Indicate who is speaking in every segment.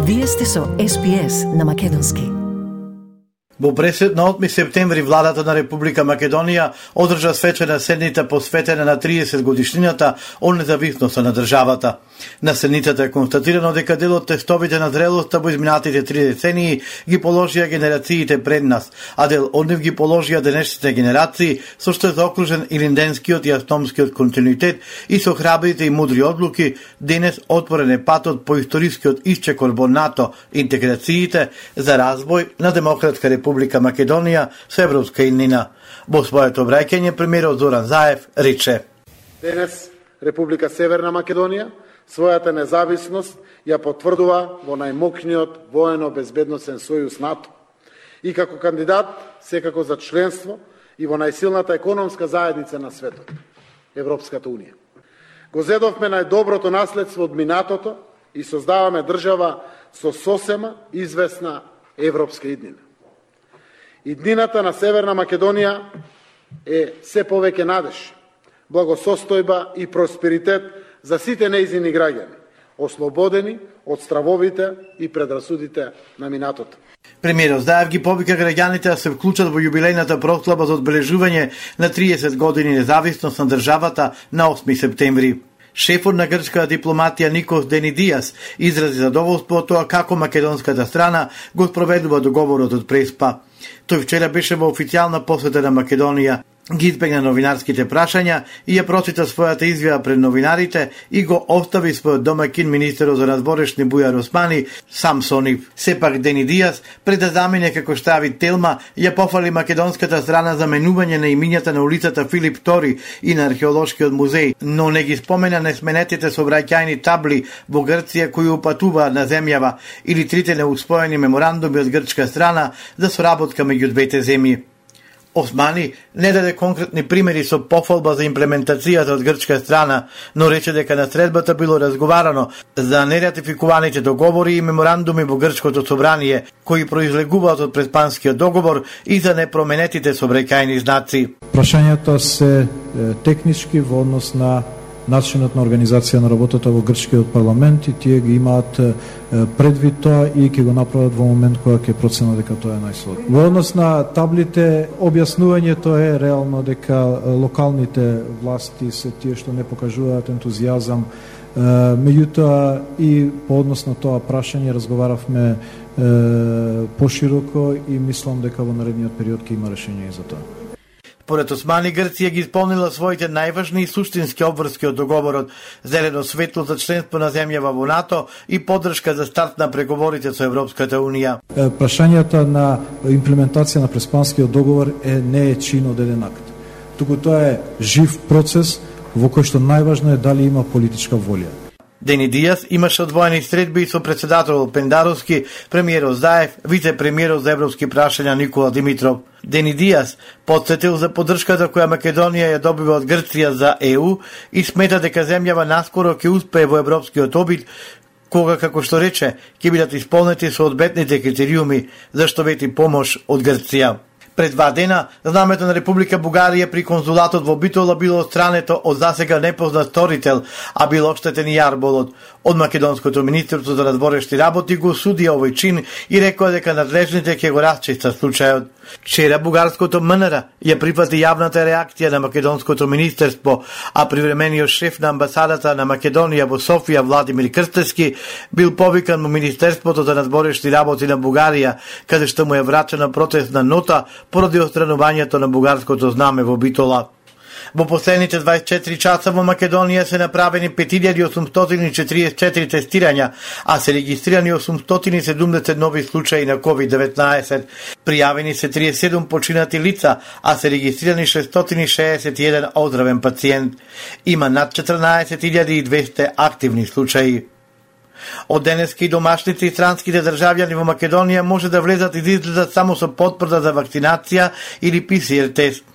Speaker 1: Вие сте со SPS на македонски.
Speaker 2: Во пресед на 8 септември владата на Република Македонија одржа свечена седница посветена на 30 годишнината од независноста на државата. На седницата е констатирано дека дел од тестовите на зрелоста во изминатите 3 децении ги положија генерациите пред нас, а дел од нив ги положија денешните генерации, со што е заокружен и линденскиот и автономскиот континуитет и со храбрите и мудри одлуки, денес отворен е патот по историскиот исчекор во НАТО, интеграциите за развој на Демократска Република Македонија со европска иднина. Во своето обраќање премиерот Зоран Заев рече:
Speaker 3: Денес Република Северна Македонија својата независност ја потврдува во најмокниот воено-безбедносен сојуз НАТО и како кандидат секако за членство и во најсилната економска заедница на светот, Европската Унија. Го зедовме најдоброто наследство од минатото и создаваме држава со сосема известна европска иднина. Иднината на Северна Македонија е се повеќе надеж, благосостојба и просперитет за сите нејзини граѓани, ослободени од стравовите и предрасудите на минатото.
Speaker 2: Премиерот Заев ги повика граѓаните да се вклучат во јубилејната прослава за одбележување на 30 години независност на државата на 8 септември. Шефот на грчката дипломатија Никос Денидијас изрази задоволство од тоа како македонската страна го спроведува договорот од Преспа. Тој вчера беше во официјална посета на Македонија, ги избегна новинарските прашања и ја прочита својата изјава пред новинарите и го остави својот домаќин министерот за надворешни Бујар Османи сам со нив. Сепак Денидијас, пред да замине како штави Телма, ја пофали македонската страна за менување на имињата на улицата Филип Тори и на археолошкиот музеј, но не ги спомена несменетите сообраќајни табли во Грција кои упатуваат на земјава или трите неуспоени меморандуми од грчка страна за соработка меѓу двете земји. Османи не даде конкретни примери со пофалба за имплементацијата од грчка страна, но рече дека на средбата било разговарано за нератификуваните договори и меморандуми во грчкото собрание, кои произлегуваат од Преспанскиот договор и за непроменетите сообраќајни знаци.
Speaker 4: Прашањата се технички во однос на начинот на организација на работата во грчкиот парламент и тие ги имаат предвид тоа и ќе го направат во момент кога ќе проценат дека тоа е најсодно. Во однос на таблите, објаснувањето е реално дека локалните власти се тие што не покажуваат ентузијазам. Меѓутоа и по однос на тоа прашање разговаравме пошироко и мислам дека во наредниот период ќе има решение за тоа.
Speaker 2: Според Османи, Грција ги исполнила своите најважни и суштински обврски од договорот, зелено светло за членство на земјава во НАТО и поддршка за старт на преговорите со Европската Унија.
Speaker 4: Прашањата на имплементација на Преспанскиот договор не е чин од еден акт. Туку тоа е жив процес во кој што најважно е дали има политичка волја.
Speaker 2: Денидијас имаше одвоени средби со председателот Пендаровски, премиерот Заев, вице-премиерот за европски прашања Никола Димитров. Денидијас потсетил за поддршката која Македонија ја добива од Грција за ЕУ и смета дека земјава наскоро ќе успее во европскиот обид, кога, како што рече, ќе бидат исполнети соодветните критериуми за што вети помош од Грција. Пред 2 дена, знамето на Република Бугарија при конзулатот во Битола било отстрането од засега непознат сторител, а бил оштетен и јарболот. Од Македонското министерство за надворешни работи го суди овој чин и рекоа дека надлежните ќе го расчистат случајот. Вчера бугарското МНР ја прифати јавната реакција на Македонското министерство, а привремениот шеф на амбасадата на Македонија во Софија Владимир Крстевски бил повикан во Министерството за надворешни работи на Бугарија, каде што му е врачена протестна нота поради отстранувањето на бугарското знаме во Битола. Во последните 24 часа во Македонија се направени 5844 тестирања, а се регистрирани 870 нови случаи на COVID-19. Пријавени се 37 починати лица, а се регистрирани 661 оздравен пациент. Има над 14.200 активни случаи. Од денеска и домашните и странските државјани во Македонија може да влезат и да излезат само со потврда за вакцинација или ПСР тест.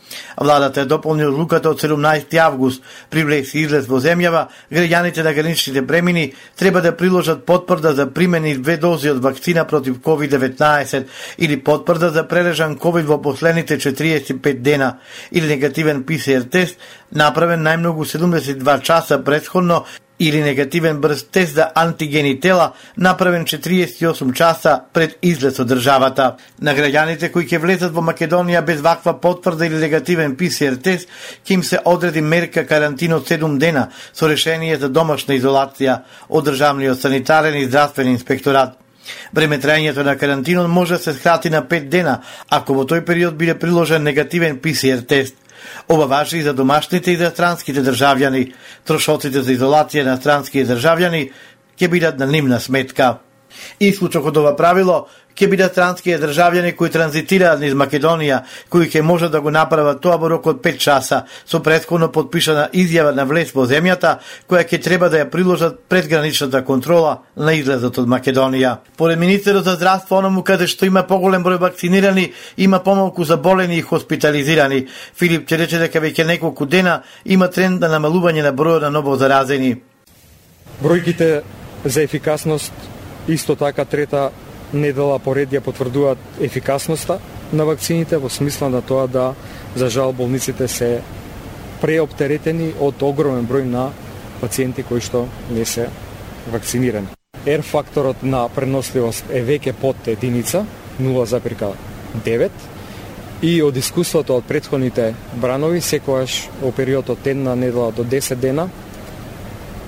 Speaker 2: Владата е дополни одлуката од 17 август. При влез и излез во земјава, граѓаните на граничните премини треба да приложат потврда за примени 2 дози од вакцина против COVID-19 или потврда за прележан COVID во последните 45 дена или негативен ПСР тест направен најмногу 72 часа претходно или негативен брз тест за антигени тела направен 48 часа пред излез од државата. На граѓаните кои ќе влезат во Македонија без ваква потврда или негативен ПСР тест, ќе им се одреди мерка карантина од 7 дена со решение за домашна изолација од државниот санитарен и здравствен инспекторат. Време траењето на карантинот може да се скрати на 5 дена, ако во тој период биде приложен негативен ПСР тест. Ова важи и за домашните и за странските државјани. Трошоците за изолација на странски државјани ќе бидат на нивна сметка. Исклучок од ова правило ќе бидат странски државјани кои транзитираат низ Македонија, кои ќе можат да го направат тоа во рок од 5 часа со претходно подпишана изјава на влез во земјата, која ќе треба да ја приложат пред граничната контрола на излезот од Македонија. Поред министерот за здравство, оному каде што има поголем број вакцинирани, има помалку заболени и хоспитализирани. Филип ќе рече дека веќе неколку дена има тренд на намалување на бројот на ново заразени.
Speaker 5: Бројките за ефикасност исто така трета недела поред ја потврдуваат ефикасноста на вакцините во смисла на тоа да, за жал, болниците се преоптеретени од огромен број на пациенти кои што не се вакцинирани. R факторот на преносливост е веќе под единица, 0,9, и од искуството од претходните бранови, секогаш во период од една недела до 10 дена,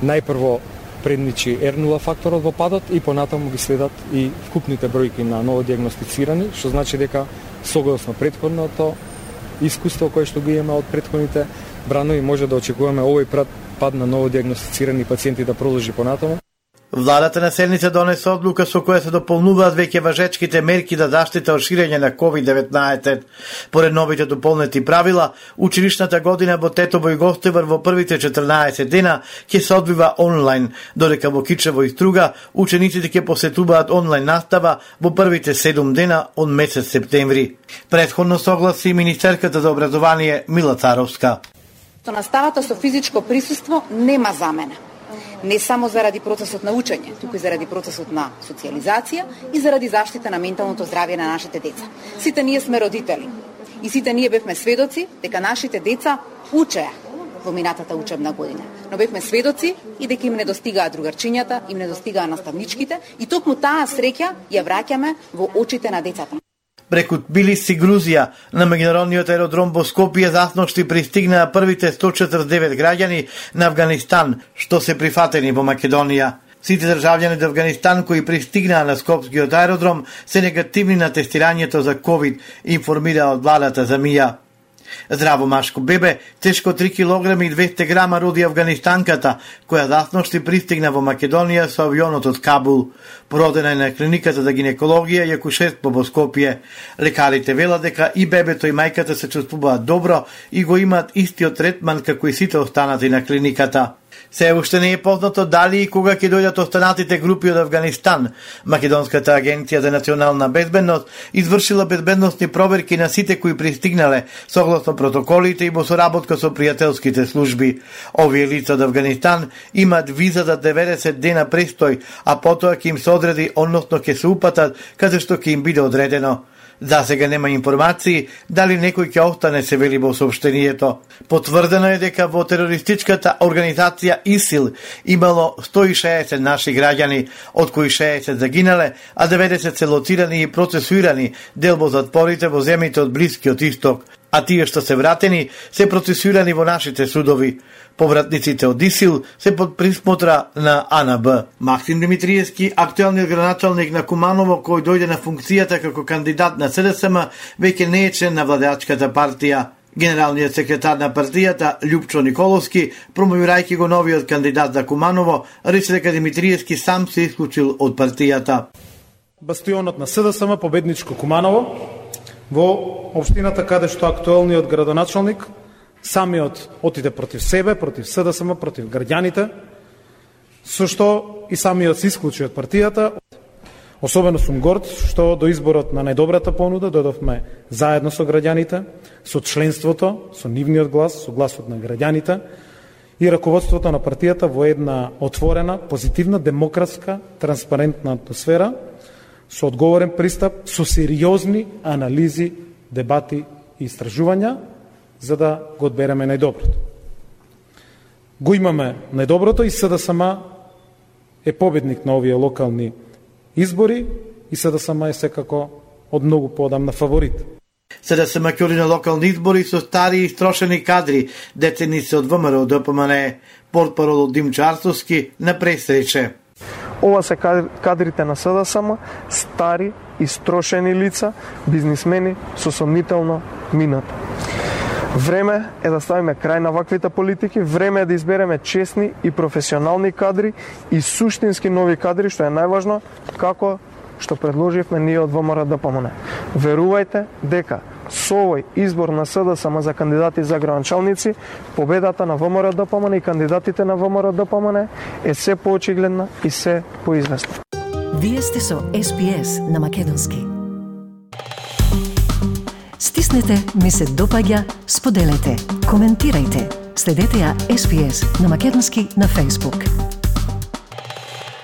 Speaker 5: најпрво предничи R0 факторот во падот и понатаму ги следат и вкупните бројки на новодиагностицирани, што значи дека согласно претходното искуство кое што го имаме од претходните бранови, може да очекуваме овој пад на новодиагностицирани пациенти да продолжи понатаму.
Speaker 2: Владата на седница донесе одлука со која се дополнуваат веќе важечките мерки за заштита од ширење на COVID-19. Поред новите дополнети правила, училишната година во Тетово и Гостивар во првите 14 дена ќе се одвива онлайн, додека во Кичево и Струга учениците ќе посетуваат онлайн настава во првите 7 дена од месец септември. Претходно согласи министерката за образование Мила Царовска.
Speaker 6: Наставата со физичко присуство нема замена. Не само заради процесот на учење, туку и заради процесот на социализација и заради заштита на менталното здравје на нашите деца. Сите ние сме родители и сите ние бевме сведоци дека нашите деца учеа во минатата учебна година. Но бевме сведоци и дека им недостигаат другарчињата, им недостигаат наставничките и токму таа среќа ја враќаме во очите на децата.
Speaker 2: Преку Тбилиси, Грузија, на меѓународниот аеродром во Скопје засношти пристигнаа првите 149 граѓани на Авганистан, што се прифатени во Македонија. Сите државјани од Авганистан кои пристигнаа на Скопскиот аеродром се негативни на тестирањето за COVID, информира од владата за МИА. Здраво машко бебе, тешко 3 кг и 200 грама роди афганистанката, која засношти пристигна во Македонија со авионот од Кабул. Породена е на клиниката за гинекологија и акушерство во Скопје. Лекарите велат дека и бебето и мајката се чувствуваат добро и го имаат истиот третман како и сите останати на клиниката. Се уште не е познато дали и кога ќе дојдат останатите групи од Авганистан. Македонската агенција за национална безбедност извршила безбедносни проверки на сите кои пристигнале согласно протоколите и во соработка со пријателските служби. Овие лица од Авганистан имаат виза за 90 дена престој, а потоа ќе им се одреди, односно ќе се упатат каде што ќе им биде одредено. За сега нема информации дали некој ќе остане, се вели во соопштението. Потврдено е дека во терористичката организација ИСИЛ имало 160 наши граѓани, од кои 60 загинале, а 90 се лоцирани и процесуирани дел во затворите во земјите од Блискиот Исток, а тие што се вратени се процесуирани во нашите судови. Повратниците од ИСИЛ се под присмотра на АНБ. Максим Димитриевски, актуелниот градоначалник на Куманово, кој дојде на функцијата како кандидат на СДСМ, веќе не е член на владеачката партија. Генералниот секретар на партијата, Љупчо Николовски, промовирајќи го новиот кандидат за Куманово, рече дека Димитриевски сам се исклучил од партијата.
Speaker 7: Бастионот на СДСМ победничко Куманово, во општината каде што актуелниот градоначалник самиот отиде против себе, против СДСМ, против граѓаните, со што и самиот се исклучи од партијата. Особено сум горд што до изборот на најдобрата понуда дојдовме заедно со граѓаните, со членството, со нивниот глас, со гласот на граѓаните и раководството на партијата во една отворена, позитивна, демократска, транспарентна атмосфера, со одговорен пристап, со сериозни анализи, дебати и истражувања, за да го одбереме најдоброто. го имаме најдоброто и СДСМ е победник на овие локални избори и СДСМ е секако од многу поодамна фаворит.
Speaker 2: СДСМ ќе оди на локални избори со стари и строшени кадри, деценици од ВМРО ДПМН, портпарол Димчо Арцовски на пресрече.
Speaker 8: Ова се кадрите на СДСМ, стари и строшени лица, бизнисмени со сомнително минато. Време е да ставиме крај на ваквите политики, време е да избереме честни и професионални кадри и суштински нови кадри, што е најважно, како што предложивме ние од ВМРО ДПМН. Верувајте дека со овој избор на СДСМ за кандидати за градоначалници, победата на ВМРО ДПМН и кандидатите на ВМРО ДПМН е се поочигледна и се поизвестна.
Speaker 1: Вие сте со SPS на македонски. Стиснете, ми се допаѓа, споделете, коментирајте. Следете ја SPS на македонски на Facebook.